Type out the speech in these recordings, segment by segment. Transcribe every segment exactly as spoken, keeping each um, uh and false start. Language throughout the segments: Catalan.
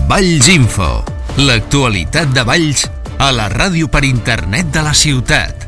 Valls Info, l'actualitat de Valls a la ràdio per internet de la ciutat.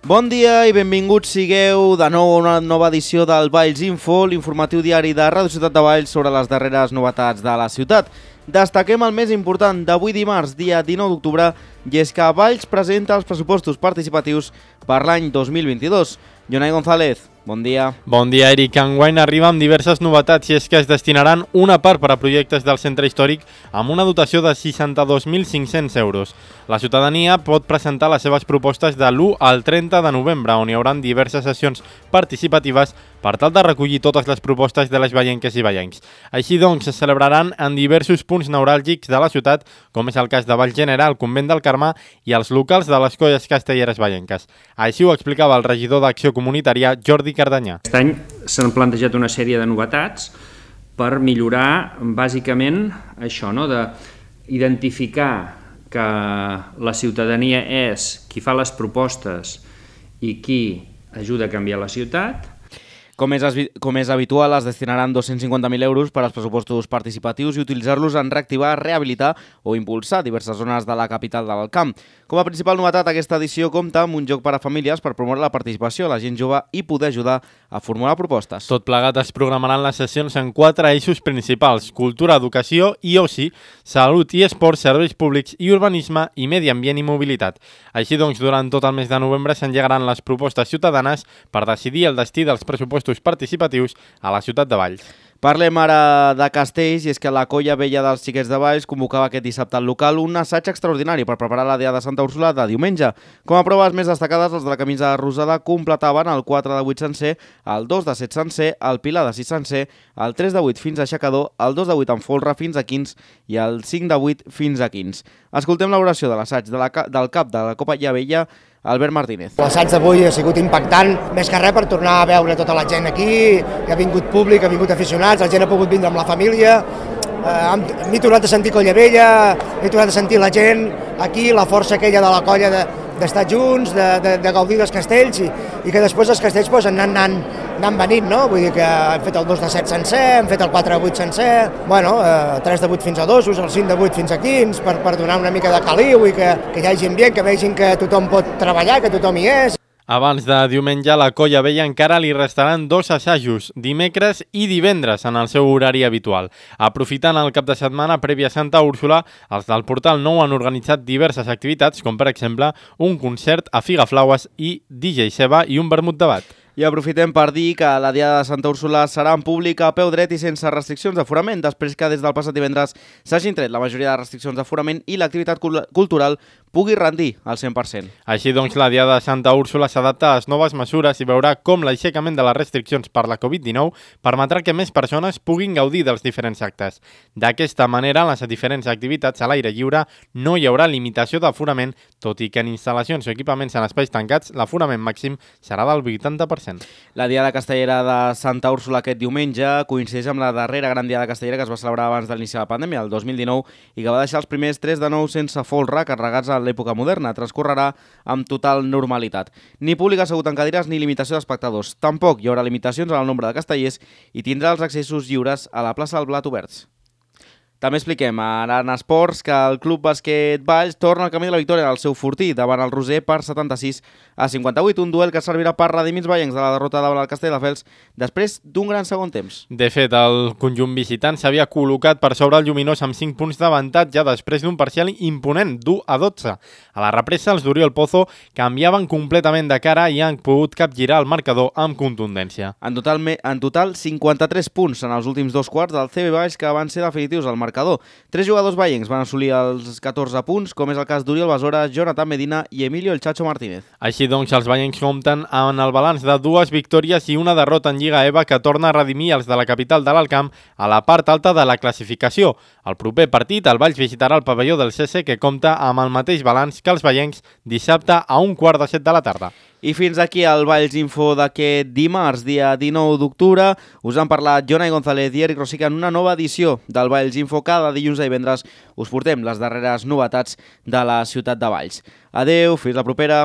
Bon dia i benvinguts sigueu de nou a una nova edició del Valls Info, l'informatiu diari de Ràdio Ciutat de Valls sobre les darreres novetats de la ciutat. Destaquem el més important d'avui dimarts, dia dinou d'octubre, i és que Valls presenta els pressupostos participatius per l'any dos mil vint-i-dos. Jonai González, bon dia. Bon dia, Eric. Enguany arriba amb diverses novetats i és que es destinaran una part per a projectes del centre històric amb una dotació de seixanta-dos mil cinc-cents euros. La ciutadania pot presentar les seves propostes de l'u al trenta de novembre, on hi haurà diverses sessions participatives per tal de recollir totes les propostes de les vallenques i vallencs. Així doncs, es celebraran en diversos punts neuràlgics de la ciutat, com és el cas de Valls General, Convent del Carmà i els locals de les colles castelleres vallenques. Així ho explicava el regidor d'Acció Comunitària, Jordi Cardanyà. Aquest any s'han plantejat una sèrie de novetats per millorar bàsicament això, no? d'identificar que la ciutadania és qui fa les propostes i qui ajuda a canviar la ciutat. Com és, com és habitual, es destinaran dos-cents cinquanta mil euros per als pressupostos participatius i utilitzar-los en reactivar, rehabilitar o impulsar diverses zones de la capital de l'Alt Camp. Com a principal novetat, aquesta edició compta amb un joc per a famílies per promoure la participació de la gent jove i poder ajudar a formular propostes. Tot plegat es programaran les sessions en quatre eixos principals: cultura, educació i oci, salut i esport, serveis públics i urbanisme i medi ambient i mobilitat. Així doncs, durant tot el mes de novembre s'engegaran les propostes ciutadanes per decidir el destí dels pressupostos participatius a la ciutat de Valls. Parlem ara de castells, i és que la Colla Vella dels Xiquets de Valls convocava aquest dissabte al local un assaig extraordinari per preparar la Diada de Santa Úrsula de diumenge. Com a proves més destacades, els de la camisa rosada completaven el quatre de vuit sencer, el dos de set sencer, el pilar de sis sencer, el tres de vuit fins a aixecador, el dos de vuit amb folre fins a quinze i el cinc de vuit fins a quinze. Escoltem l'oració de l'assaig de la, del cap de la Colla Vella, Albert Martínez. L'assaig d'avui ha sigut impactant, més que res per tornar a veure tota la gent aquí, que ha vingut públic, ha vingut aficionats, la gent ha pogut vindre amb la família, eh, m'he tornat a sentir Colla Vella, he tornat a sentir la gent aquí, la força aquella de la colla de, d'estar junts, de, de, de gaudir dels castells i, i que després els castells pues, han anat anant venint, no? Vull dir que hem fet el dos de set sencer, hem fet el quatre de vuit sencer, bueno, eh, tres de vuit fins a dos, el cinc de vuit fins a quinze, per, per donar una mica de caliu i que, que hi hagi ambient, que vegin que tothom pot treballar, que tothom hi és. Abans de diumenge, a la Colla Vella encara li restaran dos assajos, dimecres i divendres, en el seu horari habitual. Aprofitant el cap de setmana prèvia a Santa Úrsula, els del Portal Nou han organitzat diverses activitats, com per exemple un concert a Figaflaues i D J Seba i un vermut de bat. I aprofitem per dir que la Diada de Santa Úrsula serà en públic a peu dret i sense restriccions d'aforament, després que des del passat divendres s'hagin tret la majoria de restriccions d'aforament i l'activitat cultural pugui rendir al cent per cent. Així doncs, la Diada de Santa Úrsula s'adapta a les noves mesures i veurà com l'aixecament de les restriccions per la covid dinou permetrà que més persones puguin gaudir dels diferents actes. D'aquesta manera, en les diferents activitats a l'aire lliure no hi haurà limitació d'aforament, tot i que en instal·lacions o equipaments en espais tancats l'aforament màxim serà del vuitanta per cent. La Diada Castellera de Santa Úrsula aquest diumenge coincideix amb la darrera gran Diada Castellera que es va celebrar abans de l'inici de la pandèmia, el dos mil dinou, i que va deixar els primers tres de nou sense folre carregats a l'època moderna. Transcorrerà amb total normalitat. Ni públic assegut en cadires ni limitació d'espectadors. Tampoc hi haurà limitacions en el nombre de castellers i tindrà els accessos lliures a la plaça del Blat oberts. També expliquem ara en esports que el Club Bàsquet Valls torna al camí de la victòria al seu fortí davant el Roser per setanta-sis a cinquanta-vuit, un duel que servirà per redimir els vallencs de la derrota davant el Castelldefels després d'un gran segon temps. De fet, el conjunt visitant s'havia col·locat per sobre el Lluminós amb cinc punts d'avantatge després d'un parcial imponent d'u a dotze. A la represa, els d'Oriol Pozo canviaven completament de cara i han pogut capgirar el marcador amb contundència. En total, en total cinquanta-tres punts en els últims dos quarts del C B Valls que van ser definitius al marcador. Tres jugadors vallencs van assolir els catorze punts, com és el cas d'Oriol Besora, Jonathan Medina i Emilio El Chacho Martínez. Així doncs, els vallencs compten amb el balanç de dues victòries i una derrota en Lliga EVA que torna a redimir els de la capital de l'Alt Camp a la part alta de la classificació. El proper partit, el Valls visitarà el pavelló del C C, que compta amb el mateix balanç que els vallencs dissabte a un quart de set de la tarda. I fins aquí el Valls Info d'aquest dimarts, dia dinou d'octubre. Us han parlat Jonai González i Eric Rosica en una nova edició del Valls Info. Cada dilluns i divendres us portem les darreres novetats de la ciutat de Valls. Adeu, fins la propera.